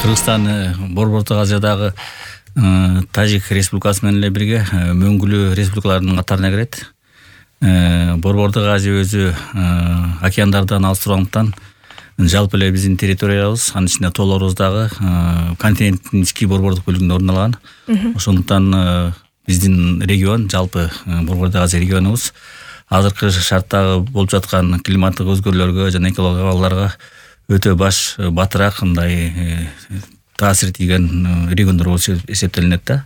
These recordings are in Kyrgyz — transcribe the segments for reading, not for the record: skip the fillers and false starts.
Кыргызстан Борбордук Азиядагы Тажик Республикасы менен эле бирге мөңгүлүү республикалардын катарына кирет. Борбордук Азия өзү океандардан алыстыргандыктан жалпы эле биздин территориябыз, анын ичинде тоолорубуз дагы континенттин ички борбордук бөлүгүндө орун алган. Ошондуктан биздин регион, жалпы Борбордук Азия регионубуз азыркы шарттагы болуп жаткан климаттык өзгөрүүлөргө жана экологиялык абалдарга өтө баш батыраак мындай таасир тийген региондор болуп эсептелинет да.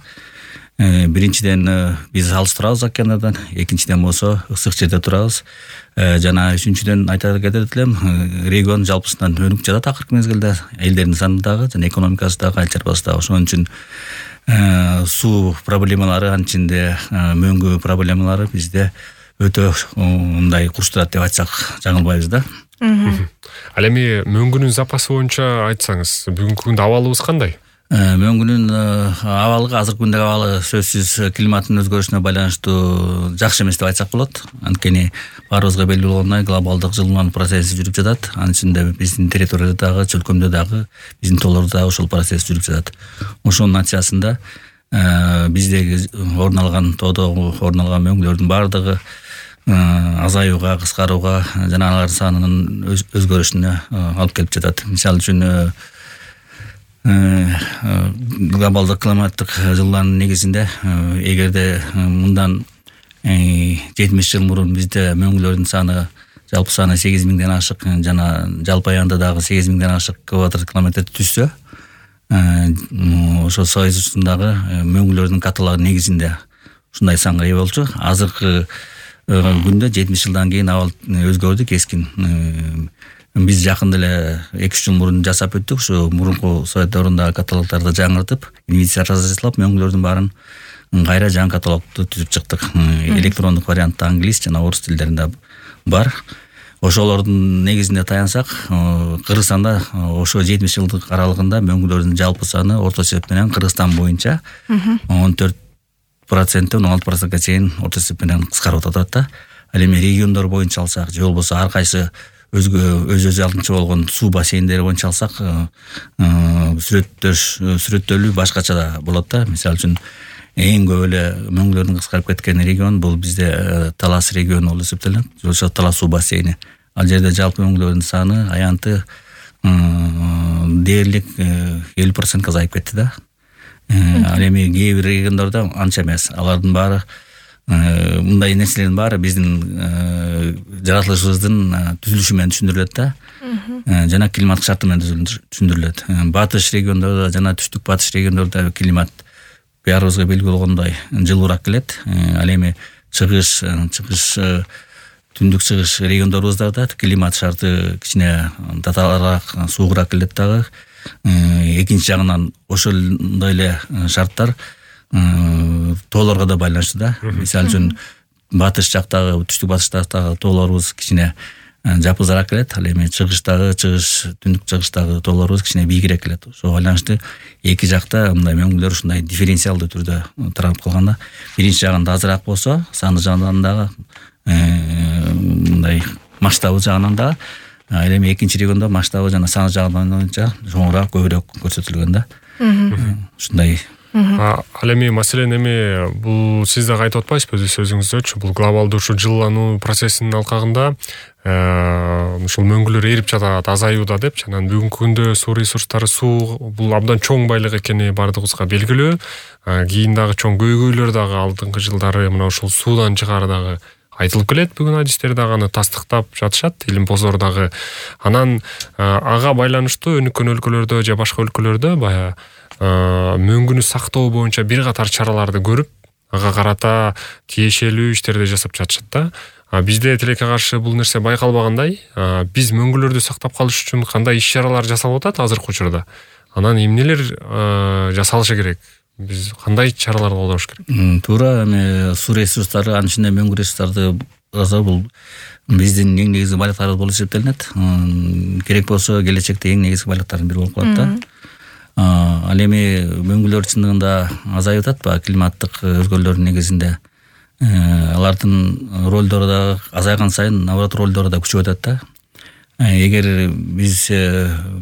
Биринчиден биз алыс турабыз океандардан, экинчиден болсо ысык жерде турабыз. Жана үчүнчүдөн айта кетет элем, регион жалпысынан өнүк жатат акыркы мезгилде, элдердин саны дагы жана экономикасы дагы, айыл чарбасы дагы. Ошон үчүн суу проблемалары, анын ичинде мөңгү проблемалары бизде өтө мындай курчтурат деп айтсак жаңылбайбыз да. Ал эми мөңгүнүн запасы боюнча айтсаңыз, бүгүнкү күндө абалыбыз кандай? Мөңгүнүн абалы, азыркы күндөгү абалы сөзсүз климаттын өзгөрүшүнө байланыштуу жакшы эмес деп айтсак болот. Анткени баарыбызга белгилүү болгондой глобалдык жылынуу процесси жүрүп жатат. Анын ичинде биздин территорияда дагы, чөлкөмдө дагы, биздин тоолордо дагы ошол процесс жүрүп жатат. Ошонун натыйжасында биздеги орун алган тоодо орун алган мөңгүлөрдүн баардыгы азаюуга, кыскарууга жана алардын санынын өзгөрүшүнө алып келип жатат. Мисалы үчүн глобалдык климаттык жылынуунун негизинде эгерде мындан 70 жыл мурун бизде мөңгүлөрдүн саны, жалпы саны 8000ден ашык жана жалпы аянда дагы 8000ден ашык квадрат километр түзсө, ошо Союз учурундагы мөңгүлөрдүн каталыгы негизинде ушундай санга ээ болчу. Азыркы күндө 70 жылдан кийин абал өзгөрдү кескин. Биз жакында эле 2-3 жыл мурун жасап өттүк. Ушу мурунку Совет дöwрүндөгү каталогдорду жаңыртып, инвестиция жасап, мөңгүлөрдүн баарын кайра жаңы каталогду түзүп чыктык. Электрондук вариантта англис жана орус тилдеринде бар. Ошолордун негизинде таянсак, Кыргызстанда ошо 70 жылдык аралыгында мөңгүлөрдүн жалпы саны орто эсеп менен Кыргызстан боюнча 14%-тен 16%га чейин орто эсеп менен кыскарып атат да. Ал эми региондор боюнча алсак, же болбосо ар кайсы өз алдынча болгон суу бассейндери боюнча алсак, сүрөттөлүү башкача да болот да. Мисалы үчүн эң көп эле мөңгүлөрдүн кыскарып кеткен регион бул бизде Талас региону болуп эсептелет. Ошо Талас суу бассейни. Ал жерде жалпы мөңгүлөрдүн саны, аянты дээрлик 50%га азайып кетти да. Ал эми кээ бир региондордо анча эмес. Алардын баары мындай нерселердин баары биздин жаратылышыбыздын түзүлүшү менен түшүндүрүлөт да. Жана климаттык шарты менен түшүндүрүлөт. Батыш региондордо жана түштүк батыш региондордо климат баарыбызга белгилүү болгондой жылуураак келет. Ал эми чыгыш, түндүк чыгыш региондорубузда да климат шарты кичине татаалаак, суугураак келет дагы. Экинчи жагынан ошондой эле шарттар тоолорго да байланыштуу да. Мисалы үчүн батыш жактагы, түштүк батыштагы тоолорубуз кичине жапызараак келет. Ал эми түндүк чыгыштагы тоолорубуз кичине бийигирээк келет. Ошого байланыштуу эки жакта мындай мөңгүлөр ушундай дифференциалдуу түрдө таралып калганда, биринчи жагында азыраак болсо, саны жагынан дагы мындай масштабы жагынан дагы, ал эми экинчи региондо масштабы жана саны жагынан боюнча чоңураак, көбүрөөк көрсөтүлгөн да. Ушундай. Ал эми маселен эми бул сиз дагы айтып атпайсызбы өз сөзүңүздөчү, бул глобалдуу ушу жылынуу процессинин алкагында ушул мөңгүлөр эрип жатат, азаюуда деп. Анан бүгүнкү күндө суу ресурстары, суу бул абдан чоң байлык экени баардыгыбызга белгилүү. Кийин дагы чоң көйгөйлөр дагы алдыңкы жылдары мына ушул суудан чыгаары дагы айтылып келет. Бүгүн адистер дагы аны тастыктап жатышат, илим позор дагы. Анан ага байланыштуу өнүккөн өлкөлөрдө же башка өлкөлөрдө баягы мөңгүнү сактоо боюнча бир катар чараларды көрүп, ага карата тиешелүү иштерди жасап жатышат да. Бизде тилекке каршы бул нерсе байкалбагандай, биз мөңгүлөрдү сактап калыш үчүн кандай иш-чаралар жасалып атат азыркы учурда? Анан эмнелер жасалышы керек? Биз кандай чараларды колдош керек? Туура, эми суу ресурстары, анын ичинде мөңгү ресурстарды бул биздин эң негизги байлыктарыбыз болуп эсептелинет. Керек болсо келечекте эң негизги байлыктардын бири болуп калат да. Ал эми мөңгүлөр чындыгында азайып атат, климаттык өзгөрүүлөрдүн негизинде. Алардын ролдору да азайган сайын, наоборот, ролдору да күчөп атат да. Эгер биз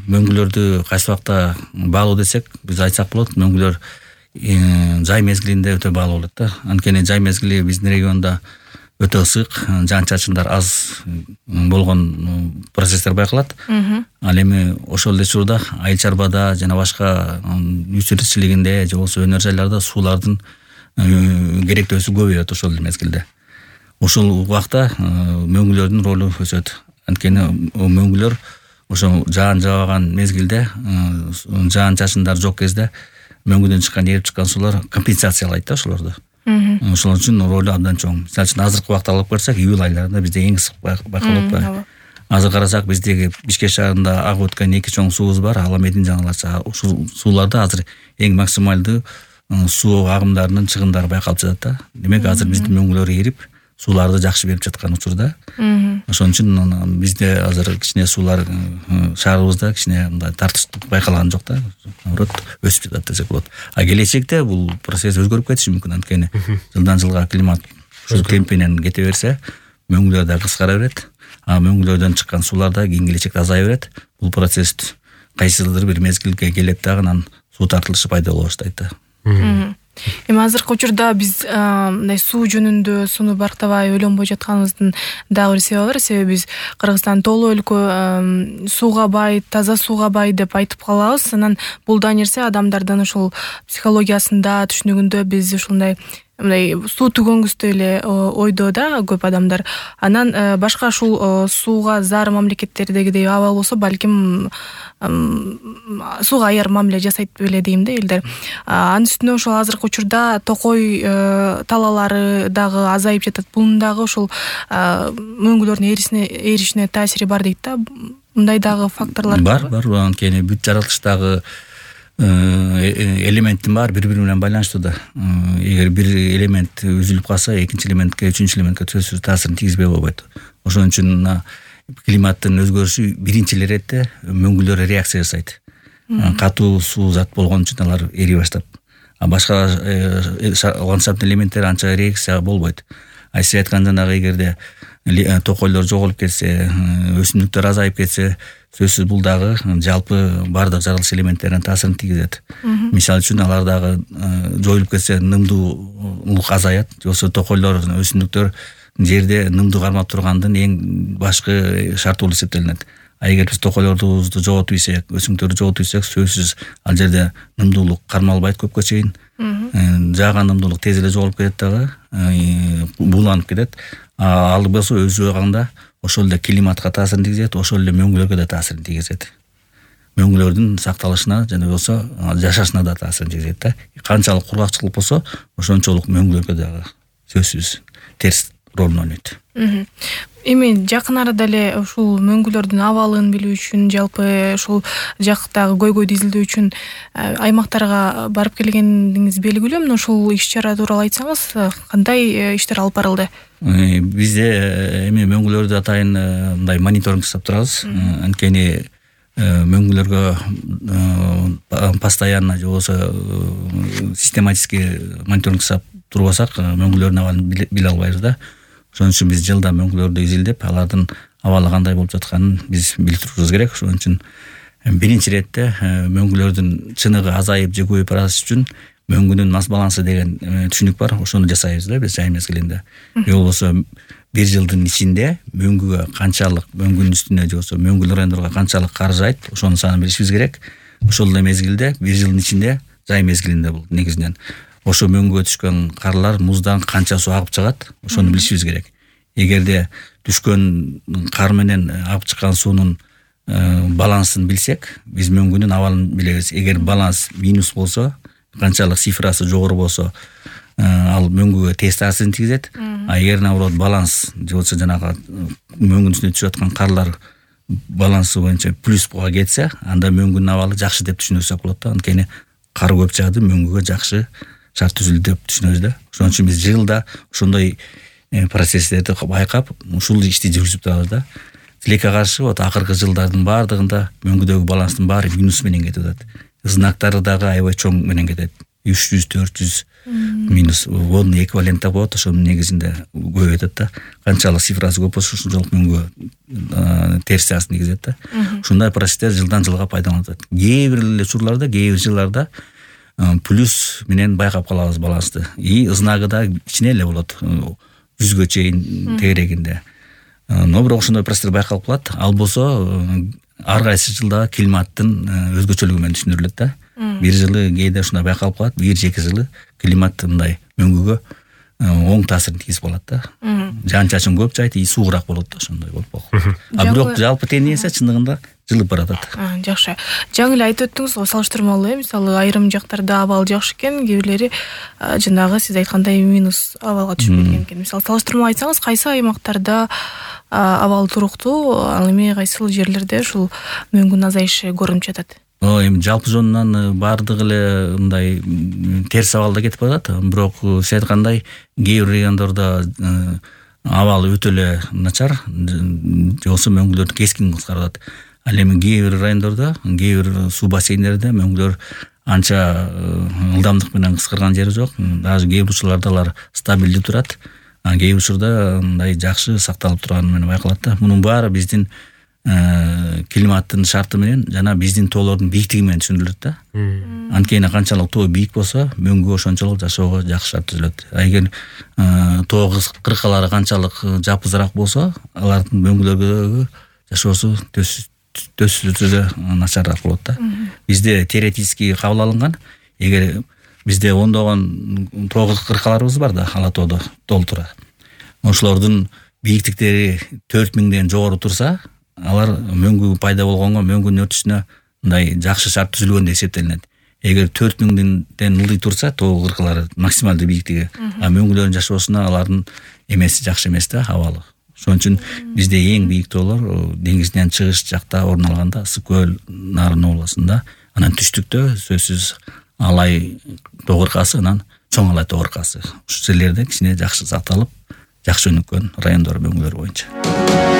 мөңгүлөрдү кайсы убакта баалоо десек, биз айтсак болот, мөңгүлөр жай мезгилинде өтө баалуу болот да. Анткени жай мезгили биздин региондо өтө ысык, жаан чачындар аз болгон процесстер байкалат. Ал эми ошол эле учурда айыл чарбада жана башка үй тиричилигинде же болбосо өнөр жайларда суулардын керектөөсү көбөйөт ошол мезгилде. Ошол убакта мөңгүлөрдүн ролу өсөт. Анткени мөңгүлөр ошо жаан жаабаган мезгилде, жаан чачындар жок кезде мөңгүдөн чыккан, эрип чыккан суулар компенсациялайт да ошолорду. Ошол үчүн ролу абдан чоң. Мисалы үчүн азыркы убакта алып карасак, июль айларында бизде эң ысык байкалып атпайбы? Азыр карасак, биздеги Бишкек шаарында агып өткөн 2 чоң суубуз бар, Аламедин жана Алача. Ушул сууларда азыр эң максималдуу суу агымдарынын чыгымдары байкалып жатат да. Демек азыр биздин мөңгүлөр эрип, сууларды жакшы берип жаткан учурда. Ошон үчүн бизде азыр кичине суулар шаарыбызда кичине мындай тартыштык байкалган жок да. Наоборот, өсүп жатат десек болот. А келечекте бул процесс өзгөрүп кетиши мүмкүн, анткени жылдан жылга климат ушул темпинен кете берсе, мөңгүлөр да кыскара берет. А мөңгүлөрдөн чыккан суулар да кийин келечекте азая берет. Бул процесс кайсыдыр бир мезгилге келет дагы, анан суу тартылышы пайда боло баштайт да. Эми азыркы учурда биз мындай суу жөнүндө сууну барктабай ойлонбой жатканыбыздын дагы бир себеби бар. Себеби биз Кыргызстан тоолуу өлкө, сууга бай, таза сууга бай деп айтып калабыз. Анан бул да нерсе адамдардын ошол психологиясында, түшүнүгүндө биз ушундай мындай суу түгөнгүстүү эле ойдо да көп адамдар. Анан башка ушул сууга зар мамлекеттердегидей абал болсо, балким сууга аяр мамиле жасайт беле дейм да элдер. Анын үстүнө ошол азыркы учурда токой талаалары дагы азайып жатат. Бунун дагы ошол мөңгүлөрдүн эришине таасири бар дейт да. Мындай дагы факторлор бар. Анткени бүт жаратылыштагы элементтин баары бири-бири менен байланыштуу да. Эгер бир элемент үзүлүп калса, экинчи элементке, үчүнчү элементке сөзсүз таасирин тийгизбей болбойт. Ошон үчүн климаттын өзгөрүшү биринчи иретте мөңгүлөр реакция жасайт. Катуу суу зат болгон үчүн алар эри баштап. А башка ландшафт элементтер анча реакция болбойт. Сиз айткан жанагы эгерде токойлор жоголуп кетсе, өсүмдүктөр азайып кетсе, сөзсүз бул дагы жалпы бардык жаралыш элементтерине таасирин тийгизет. Мисалы үчүн алар дагы жоюлуп кетсе, нымдуулук азаят. Болсо токойлор, өсүмдүктөр жерде нымдуу кармап тургандын эң башкы шарты болуп эсептелинет. А эгер биз токойлорубузду жоготуп ийсек, өсүмдүктөрдү жоготуп ийсек, сөзсүз ал жерде нымдуулук кармалбайт көпкө чейин. Жааган нымдуулук тез эле жоголуп кетет дагы, бууланып кетет. Ал болсо өз жагында ошол эле климатка таасирин тийгизет, ошол эле мөңгүлөргө да таасирин тийгизет. Мөңгүлөрдүн сакталышына жана болсо жашашына да таасирин тийгизет да. Канчалык кургакчылык болсо, ошончолук мөңгүлөргө дагы сөзсүз терс ролун ойнойт. Эми жакын арада эле ушул мөңгүлөрдүн абалын билүү үчүн, жалпы ушул жактагы көйгөйдү изилдөө үчүн аймактарга барып келгениңиз белгилүү. Мына ушул иш-чара тууралуу айтсаңыз, кандай иштер алып барылды? Бизде эми мөңгүлөрдү атайын мындай мониторинг жасап турабыз. Анткени мөңгүлөргө постоянно же болбосо систематически мониторинг жасап турбасак, мөңгүлөрдүн абалын биле албайбыз да. Ошон үчүн биз жылда мөңгүлөрдү изилдеп, алардын абалы кандай болуп жатканын биз билип турушубуз керек. Ошон үчүн биринчи иретте мөңгүлөрдүн чыныгы азайып же көбөйүп барышы үчүн мөңгүнүн масс балансы деген түшүнүк бар. Ошону жасайбыз да биз жай мезгилинде. Же болбосо бир жылдын ичинде мөңгүгө канчалык, мөңгүнүн үстүнө же болбосо мөңгүл райондорго канчалык кар жаайт, ошонун санын билишибиз керек. Ошол эле мезгилде бир жылдын ичинде, жай мезгилинде бул негизинен ошо мөңгүгө түшкөн карлар муздан канча суу агып чыгат, ошону билишибиз керек. Эгерде түшкөн кар менен агып чыккан суунун балансын билсек, биз мөңгүнүн абалын билебиз. Эгер баланс минус болсо, канчалык цифрасы жогору болсо, ал мөңгүгө терс таасирин тийгизет. А эгер наоборот баланс же болбосо жанагы мөңгүнүн үстүнө түшүп аткан карлар балансы боюнча плюска кетсе, анда мөңгүнүн абалы жакшы деп түшүнөсөк болот да. Анткени кар көп жаады, мөңгүгө жакшы шарт түзүлдү деп түшүнөбүз да. Ошон үчүн биз жылда ошондой процесстерди байкап, ушул ишти жүргүзүп турабыз да. Тилекке каршы акыркы жылдардын баардыгында мөңгүдөгү баланстын баары минус менен кетип атат. Знактары дагы аябай чоң менен кетет. 300 400 минус водный эквивалент болот. Ошонун негизинде көбөйтөт да. Канчалык цифрасы көп болсо ошончолук мөнгө терс жагысын тийгизет да. Ушундай процесстер жылдан жылга пайдаланылып атат. Кээ бир учурларда, кээ бир жылдарда плюс менен байкап калабыз балансты. И ызнагы да кичине эле болот. 100гө чейин тегерегинде. Но бирок ошондой процесстер байкалып калат. Ал болсо ар кайсы жылда климаттын өзгөчөлүгү менен түшүндүрүлөт да. Бир жылы кээде ушундай байкалып калат, 1-2 жылы климат мындай мөңгүгө оң таасирин тийгизип калат да. Жаан чачын көп жайт, и суугураак болот да, ошондой болуп калат. Бирок жалпы тенденция чындыгында жылып баратат. Жакшы. Жаңы эле айтып өттүңүз го, салыштырмалуу, мисалы айрым жактарда абал жакшы экен, кээ бирлери жанагы сиз айткандай минус абалга түшүп кеткен экен. Мисалы салыштырма айтсаңыз, кайсы аймактарда абал туруктуу, ал эми кайсыл жерлерде ушул мөңгүнүн азайышы көрүнүп жатат? Эми жалпы жонунан баардыгы эле мындай терс абалда кетип баратат. Бирок сиз айткандай кээ бир райондордо абал өтө эле начар, болсо мөңгүлөр кескин кыскарат. Ал эми кээ бир райондордо, кээ бир суу бассейндерде мөңгүлөр анча ылдамдык менен кыскарган жери жок. Даже кээ бир учурларда алар стабилдүү турат. Кээ бир учурда мындай жакшы сакталып турганы менен байкалат да. Мунун баары биздин климаттын шарты менен жана биздин тоолордун бийиктиги менен түшүндүрүлөт да. Анткени канчалык тоо бийик болсо, мөңгү ошончолук жашоого жакшы шарт түзүлөт. Эгер тоо кыркалары канчалык жапызыраак болсо, алардын мөңгүлөргө жашоосу төсүлүшү начарыраак болот да. Бизде теоретически кабыл алынган, эгер бизде ондогон тоо кыркаларыбыз бар да, ала тоодо толтура. Ошолордун бийиктиктери 4000ден жогору турса, алар мөңгү пайда болгонго, мөңгүнүн өртүшүнө мындай жакшы шарт түзүлгөн деп эсептелинет. Эгер 4000ден ылдый турса, тоо кыркалары максималдуу бийиктиги, мөңгүлөрдүн жашоосуна алардын эмеси жакшы эмес да, абалы. Ошон үчүн бизде эң бийик тоолор деңизден чыгыш жакта орун алганда, Ысык көл, Нарын областында, анан түштүктө сөзсүз Алай тоо кыркасы, анан Чоң Алай тоо кыркасы. Ушул жерлерде кичине жакшы сакталып, жакшы өнүккөн райондор мөңгүлөр боюнча.